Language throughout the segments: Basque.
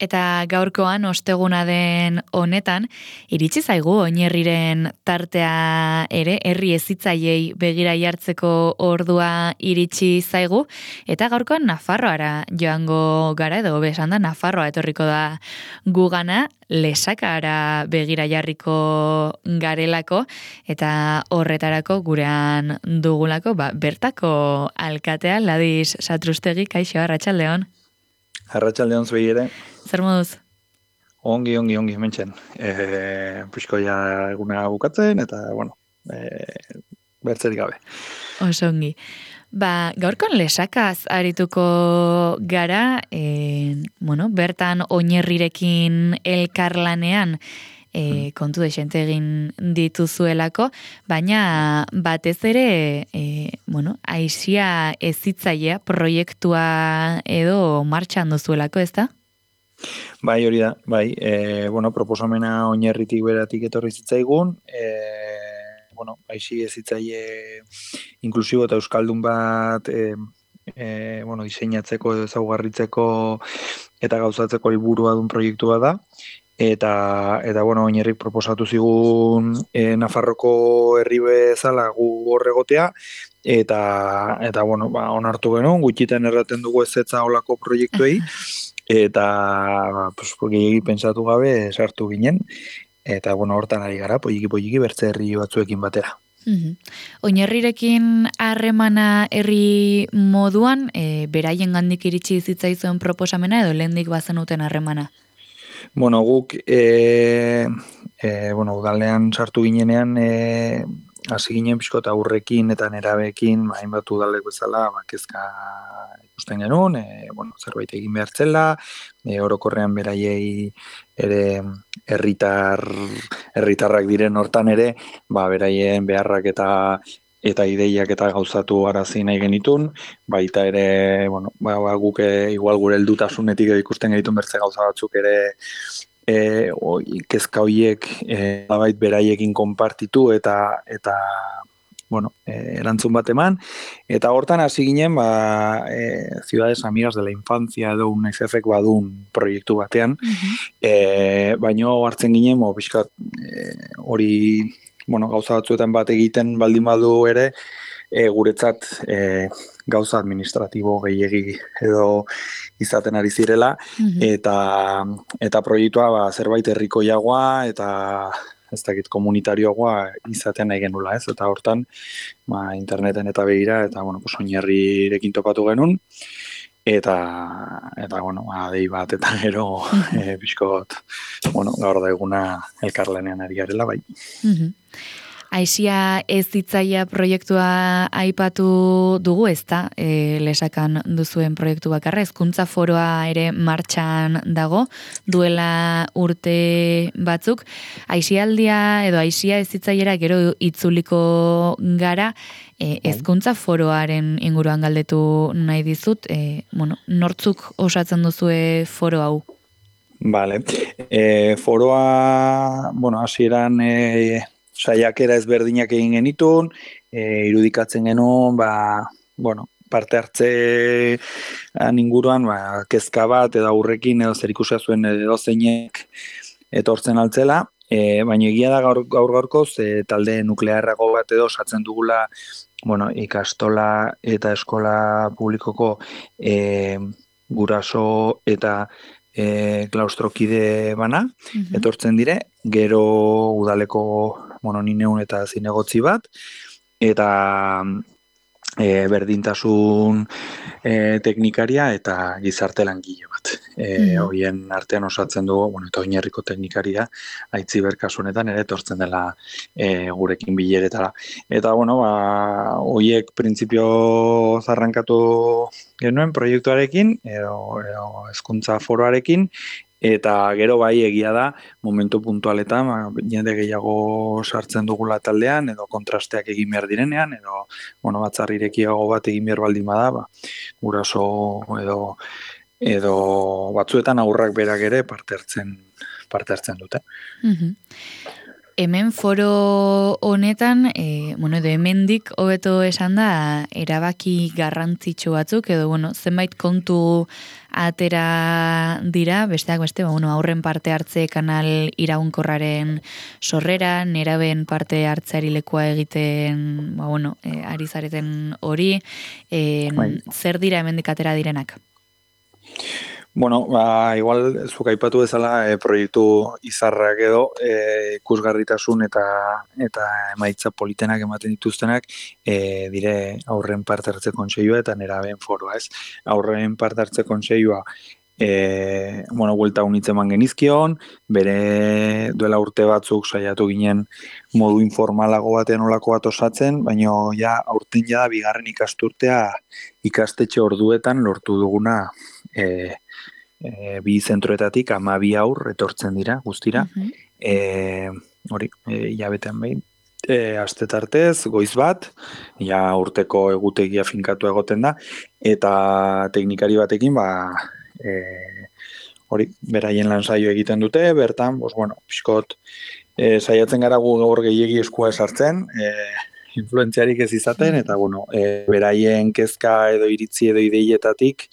Eta gaurkoan osteguna den honetan, iritsi zaigu oinerriren tartea ere, herri hezitzaileei begira jartzeko ordua iritsi zaigu, eta gaurkoan Nafarroara joango gara, edo besan da Nafarroa etorriko da gugana, Lesakara begira jarriko garelako, eta horretarako gurean dugulako, bertako alkatea, Ladis Satrustegi, kaixo, arratsaldeon. Arratsaldeon zuei ere. Zer moduz? Ongi, hementxen. Puxko ja eguna bukatzen, eta, bertzerik gabe. Oso ongi. Gaurkon Lesakaz arituko gara, bertan oinerrirekin elkarlanean kontu desente egin dituzuelako, baina batez ere, Aisia hezitzailea proiektua edo martxan duzuelako, ez da? Bai, hori da, bai. Proposamena oinerritik beratik etorri zitzaigun, Aisia hezitzaile inklusibo eta euskaldun bat diseinatzeko edo ezaugarritzeko eta gauzatzeko helburua duen proiektua da. Eta oinerrik proposatu zigun Nafarroko herri bezala gu horregotea, eta onartu genuen, gutxiten erraten dugu ezetza olako proiektuei, eta gehiagi pentsatu gabe sartu ginen, eta hortan ari gara, polliki bertze herri batzuekin batera. Oinerrirekin harremana herri moduan, beraien gandik iritsi zitzaizuen proposamena edo lehendik bazenuten harremana? Guk, udalean sartu ginenean, hasi ginen pixko eta aurrekin eta nerabeekin, hainbat udalek bezala, kezka ikusten genuen, zerbait egin behar zela, orokorrean beraiei ere herritarrak diren hortan ere, beraien beharrak eta ideiak eta gauzatu arazi nahi genitun, baita ere, guk igual gure heldutasunetik ikusten genitun bertze gauza batzuk ere kezka horiek bait beraiekin konpartitu eta erantzun bat eman, eta hortan hasi ginen Ciudades Amigas de la Infancia edo UNICEFek badun proiektu batean, baino hartzen ginen pixkat hori gauza batzuetan bat egiten baldin badu ere, guretzat gauza administratibo gehiegi edo izaten ari zirela, eta proiektua zerbait herrikoiagoa eta ez dakit komunitarioagoa izaten nahi genula, ez? Eta hortan, interneten eta begira, eta oinerrirekin topatu genuen, eta dei bat eta gero pixkot, gaur da eguna elkarlanean ari garela, bai. Aisia hezitzailea proiektua aipatu dugu, ez da, Lesakan duzuen proiektu bakarra, hezkuntza foroa ere martxan dago, duela urte batzuk. Aisialdia edo Aisia hezitzailera gero itzuliko gara, hezkuntza foroaren inguruan galdetu nahi dizut, nortzuk osatzen duzue foro hau? Vale. Foroa, hasieran saiakera ezberdinak egin genitun, irudikatzen genuen, parte hartze inguruan, kezka bat edo aurrekin edo zer ikusia zuen edo zeinek etortzen altzela, baina egia da gaur-gaurkoz talde nuklearrago bat edo osatzen dugula ikastola eta eskola publikoko guraso eta klaustrokide bana, etortzen dire, gero udaleko ni neun eta zinegotzi bat, eta berdintasun teknikaria eta gizarte langile bat. Horien artean osatzen dugu, eta oinarriko teknikaria, Aitziber kasunetan ere etortzen dela gurekin bileretara. Eta, horiek printzipio zarrankatu genuen proiektuarekin, edo hezkuntza foroarekin, eta gero bai egia da, momentu puntualetan, jende gehiago sartzen dugula taldean, edo kontrasteak egin behar direnean, edo batzar irekiago bat egin behar baldin bada, guraso edo batzuetan aurrak berak ere parte hartzen dute. Hemen foro honetan, edo hemendik hobeto esan da, erabaki garrantzitsu batzuk, edo, zenbait kontu atera dira, besteak beste, aurren parte hartze kanal iraunkorraren sorrera, neraben parte hartzeari lekua egiten, ari zareten hori, zer dira hemendik atera direnak? Bueno, igual zuk aipatu bezala proiektu izarrak edo ikusgarritasun eta emaitza politenak ematen dituztenak dire aurren parte hartze kontseilua eta nerabeen foroa, ez? Aurren parte hartze kontseilua buelta unitzen eman genizkion, bere duela urte batzuk saiatu ginen modu informalago batean olako bat osatzen, baina aurten ja bigarren ikasturtea ikastetxe orduetan lortu duguna bi zentroetatik 12 aur etortzen dira guztira. Hilabetean behin. Aste tartez, goiz bat, urteko egutegia finkatu egoten da, eta teknikari batekin, beraien lan saio egiten dute, bertan, pixkot, saiatzen gara gaur gehiegi eskua esartzen, influentziarik ez izaten, eta beraien kezka edo iritzi edo ideietatik,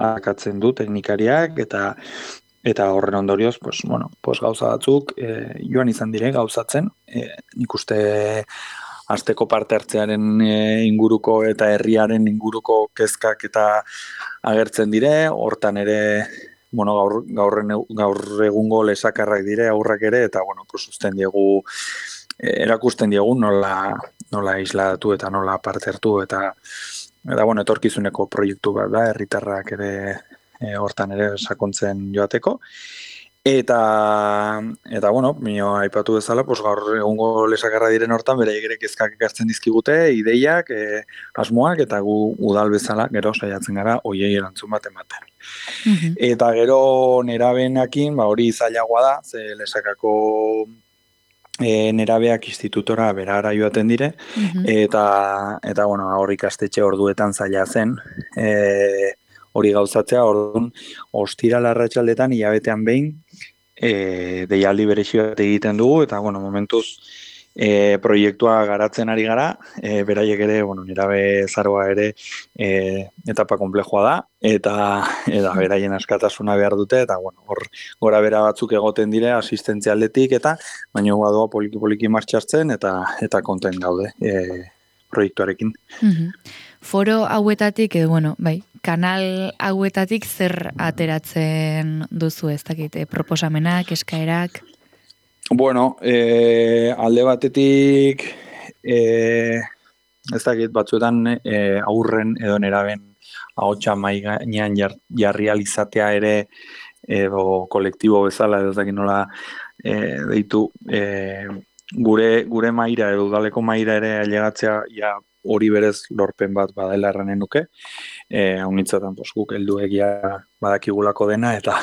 akatzen du teknikariak, eta horren ondorioz, gauza batzuk joan izan dire gauzatzen, nik uste asteko parte hartzearen inguruko eta herriaren inguruko kezkak eta agertzen dire, hortan ere gaur egungo lesakarrak dire aurrak ere, eta usten diegu erakusten diegu nola isladatu eta nola parte hartu eta etorkizuneko proiektu bat da, herritarrak ere hortan ere sakontzen joateko. Eta aipatu bezala, gaur egungo lesakarra diren hortan, beraiek ere kezkak ekartzen dizkigute, ideiak, asmoak, eta gu udal bezala, gero saiatzen gara, hoiei erantzun bat ematen. Eta gero nerabenakin, hori zailagoa da, ze lesakako nerabeak institutora berara joaten dire, eta hor ikastetxe orduetan zaila zen, hori gauzatzea, orduan, ostiral arratsaldetan hilabetean behin, deialdi berezi bat egiten dugu, eta momentuz proiektua garatzen ari gara, beraiek ere, nerabe zaroa ere etapa konplexua da, eta beraien askatasuna behar dute, eta hor gora bera batzuk egoten dire asistentzia aldetik, eta baina doa poliki martxartzen, eta konten gaude proiektuarekin. Foro hauetatik, edo kanal hauetatik zer ateratzen duzu, ez dakit, proposamenak, eskaerak? Alde batetik, ez dakit, batzuetan aurren edo neraben ahotsa mahai gainean jarri alizatea ere, edo kolektibo bezala, edo ez dakit nola deitu, gure maira edo udaleko maira ere ailegatzea hori berez lorpen bat badela erranen nuke. Haunitzatan guk helduegia badakigulako dena eta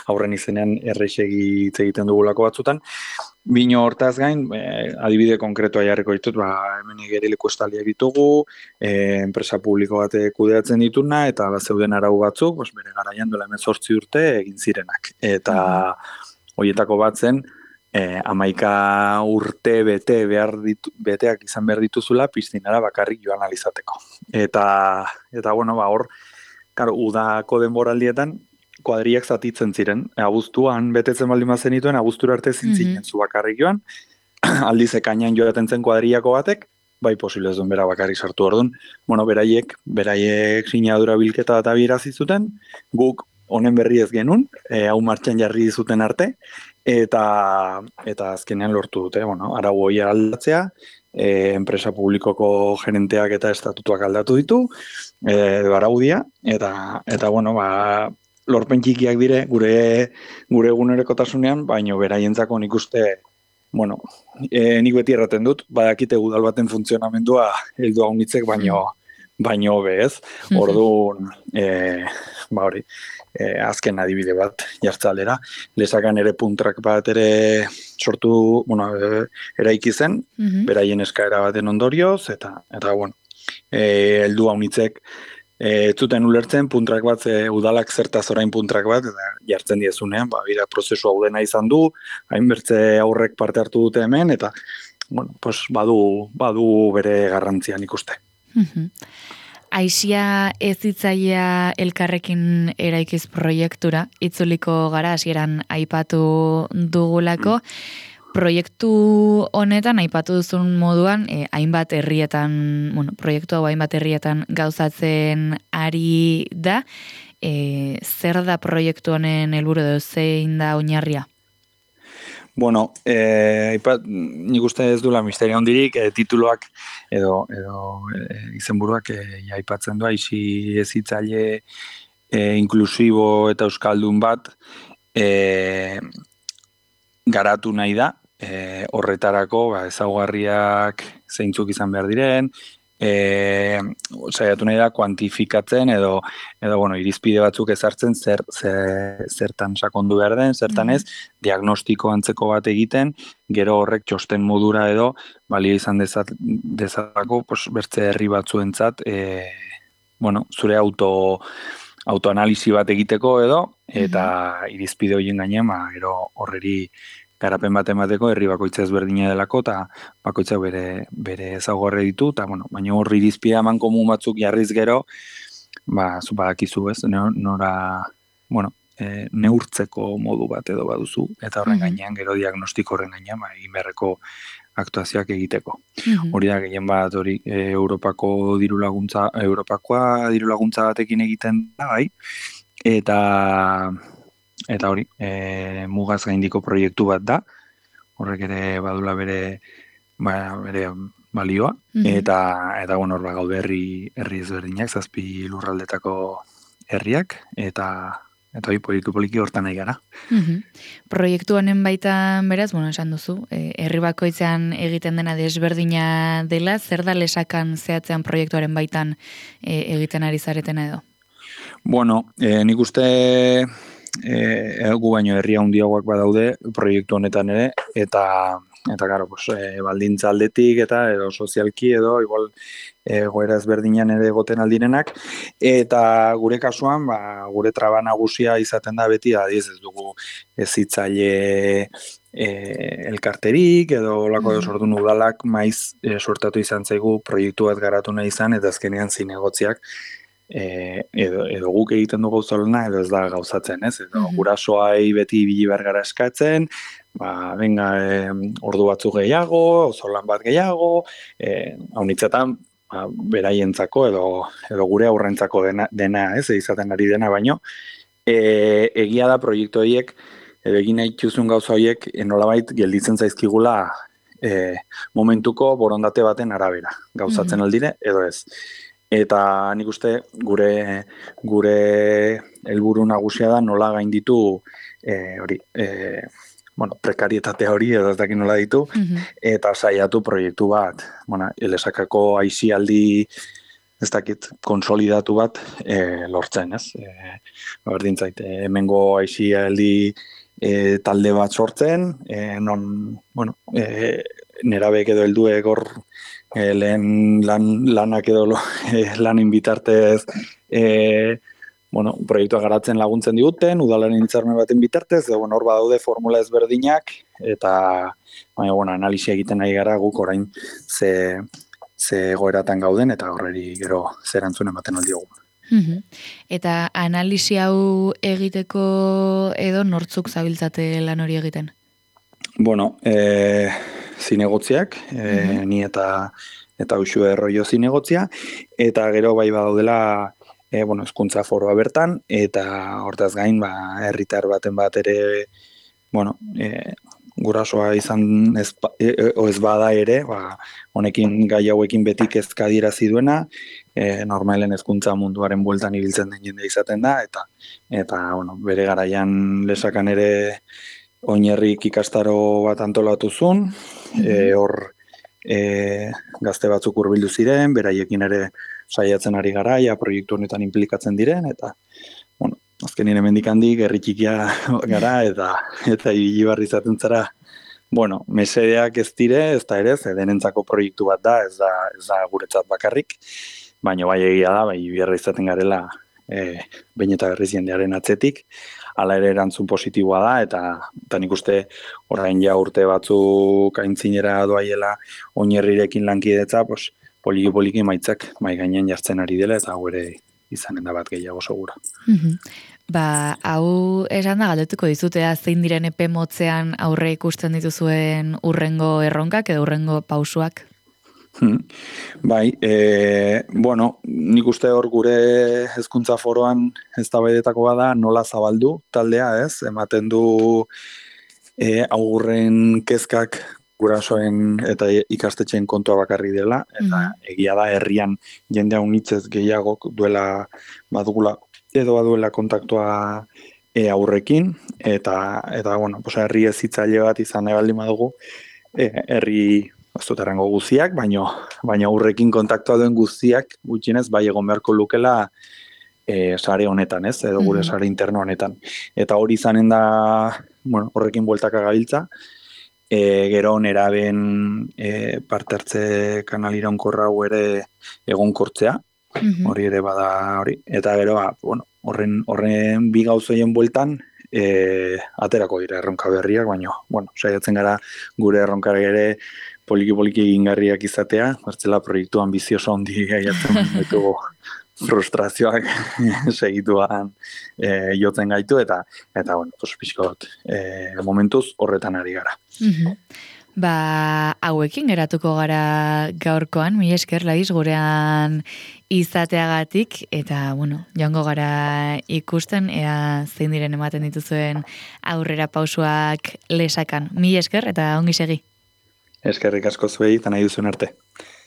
aurren izenean errexegi hitz egiten dugulako batzutan. Bino hortaz gain, adibide konkretoa jarriko ditut, hemen igerileku estaliak ditugu, enpresa publiko bat kudeatzen dituna, eta zeuden arau batzuk, bere garaian duela 18 urte egin zirenak. Eta horietako bat zen, 11 urte beteak izan behar dituzula piztinara bakarrik joan alizateko. Eta hor, udako denboraldietan kuadriak zatitzen ziren. Abuztuan betetzen baldin bazen dituen, abuztura arte zintzinen zu bakarrik joan. Aldiz ekainan joaten zen kuadriako batek, bai posible ez duen bera bakarrik sartu orduan. Beraiek sinadura bilketa bat abirazi zuten, guk honen berri ez genuen, hau martxan jarri zuten arte, eta azkenean lortu dute, arau hori aldatzea, enpresa publikoko gerenteak eta estatutuak aldatu ditu, araudia, eta lorpen txikiak dire gure egunerokotasunean, baino beraientzako nik uste, nik beti erraten dut, badakite udal baten funtzionamendua heldu haunitzek, baino bez, orduan, hori, azken adibide bat jartzalera, lesakan ere puntrak bat ere sortu, eraiki zen, beraien eskaera baten ondorioz, eta heldu haunitzek ez zuten ulertzen puntrak bat, udalak zertaz orain puntrak bat, eta jartzen diezunean, bira, prozesu hau dena izan du, hainbertze aurrek parte hartu dute hemen, eta bueno, pues badu bere garrantzia nik uste. Aisia ezitzailea elkarrekin eraikiz proiektura, itzuliko gara hasieran aipatu dugulako, proiektu honetan aipatu duzun moduan, hainbat herrietan, proiektu hau hainbat herrietan gauzatzen ari da, zer da proiektu honen helburu edo zein da oinarria? Bueno, nik uste ez dula misterio handirik, tituloak edo izenburuak aipatzen du, aisi ezitzaile inklusibo eta euskaldun bat garatu nahi da, horretarako ezaugarriak zeintzuk izan behar diren, saiatu nahi da kuantifikatzen edo irizpide batzuk ezartzen zertan sakondu behar den, zertan ez, diagnostiko antzeko bat egiten, gero horrek txosten modura edo balio izan dezatako bertze herri batzuentzat zure autoanalisi bat egiteko edo, eta irizpide horien gainean, gero horreri garapen bat emateko herri bakoitza ezberdina delako, eta bakoitza bere ezaugarri ditu, eta baina horri irizpide eman komun batzuk jarriz gero, zu badakizu ez, nora, neurtzeko modu bat edo baduzu, eta horren gainean, gero diagnostiko horren gainean, egin beharreko aktuazioak egiteko. Hori da gehien bat hori Europakoa dirulaguntza batekin egiten da, bai, eta hori, mugaz gaindiko proiektu bat da, horrek ere badula bere balioa, eta hor gaude herri ezberdinak, 7 lurraldetako herriak, eta hori poliki hortan nahi gara. Proiektu honen baitan beraz, esan duzu, herri bakoitzean egiten dena desberdina dela, zer da lesakan zehatzean proiektuaren baitan egiten ari zaretena edo? Bueno, nik uste gu baino herri handiagoak badaude proiektu honetan ere, eta claro, baldintza aldetik eta edo sozialki edo igual goera ezberdinan ere egoten aldirenak, eta gure kasuan, gure traba nagusia izaten da beti, ez dugu ezitzaile elkarterik edo olako edo sortu udalak maiz sortatu izan zaigu proiektu bat garatu nahi izan, eta azkenean zinegotziak edo guk egiten dugu gauzolena edo ez da gauzatzen, ez? Edo gurasoai beti ibili behar gara eskatzen, venga, ordu batzuk gehiago, auzolan bat gehiago, haunitzetan beraientzako edo gure aurrentzako dena, ez? Izaten ari dena baino, egia da proiektu horiek edo egin nahi txuzun gauza horiek nolabait gelditzen zaizkigula momentuko borondate baten arabera, gauzatzen aldire edo ez. Eta nik uste gure helburu nagusia da nola gainditu prekarietatea hori edo ez dakit nola ditu, eta saiatu proiektu bat, elesakako aisialdi ez dakit konsolidatu bat lortzen, ez? Berdin zait, hemengo aisialdi talde bat sortzen, nerabek edo helduek hor lehen lanak edo lanin bitartez proiektua garatzen laguntzen diguten, udalaren hitzarmen baten bitartez, hor badaude formula ezberdinak, eta analisia egiten nahi gara guk orain ze egoeratan gauden, eta horreri gero zerantzun ematen aldiogu. Eta analisi hau egiteko edo nortzuk zabiltzate lan hori egiten? Bueno, zinegotziak, ni eta Uxue Erroio zinegotzia, eta gero bai badaudela hezkuntza foroa bertan, eta hortaz gain herritar baten bat ere gurasoa izan ez bada ere, honekin gai hauekin beti kezka adierazi duena, normalen hezkuntza munduaren bueltan ibiltzen den jende izaten da, eta bere garaian lesakan ere oinarrik ikastaro bat antolatu zuen, hor gazte batzuk hurbildu ziren, beraiekin ere saiatzen ari garaia, proiektu honetan implikatzen diren, eta azkenien hemendik handik herri txikia gara, eta ibili barri izaten zara, mesedeak ez dire, ez da ere, denentzako proiektu bat da, ez da guretzat bakarrik, baina bai egia da, bai biharra izaten garela behin eta berriz jendearen atzetik, hala ere erantzun positiboa da, eta nik uste orain ja urte batzuk aintzinera doaiela oinerrirekin lankidetza, pues, poliki maitzak mai gainean jartzen ari dela, eta hau ere izanen da bat gehiago segura. Hau esan da galdetuko dizutea zein diren epe motzean aurre ikusten dituzuen urrengo erronkak edo urrengo pausuak? Bai, nik uste hor gure hezkuntza foroan eztabaidetakoa da nola zabaldu taldea, ez? Ematen du aurren kezkak gurasoen eta ikastetxeen kontua bakarri dela, eta egia da herrian jendea unitzez gehiago duela badugula edo baduela kontaktua aurrekin, eta herri hezitzaile bat izan nahi baldin badugu, herri ez dut errango guztiak, baina aurrekin kontaktua duen guztiak gutxienez bai egon beharko lukela sare honetan, ez, edo gure sare interno honetan. Eta hori izanen da, horrekin bueltaka gabiltza, gero neraben parte hartze kanal iraunkorra hau ere egonkortzea, hori ere bada hori, eta gero, horren bi gauzoien bueltan, aterako dira erronka berriak, baina, saiatzen gara gure erronkare ere poliki egingarriak izatea, bertzela proiektu ambizioso handi gaiatzen ditugu frustrazioak segituan jotzen gaitu, eta pixkot, momentuz horretan ari gara. Hauekin geratuko gara gaurkoan, mila esker Ladiz gurean izateagatik, eta joango gara ikusten, ea zein diren ematen dituzuen aurrera pausuak lesakan. Mila esker eta ongi segi. Eskerrik asko zuei, eta nahi duzuen arte.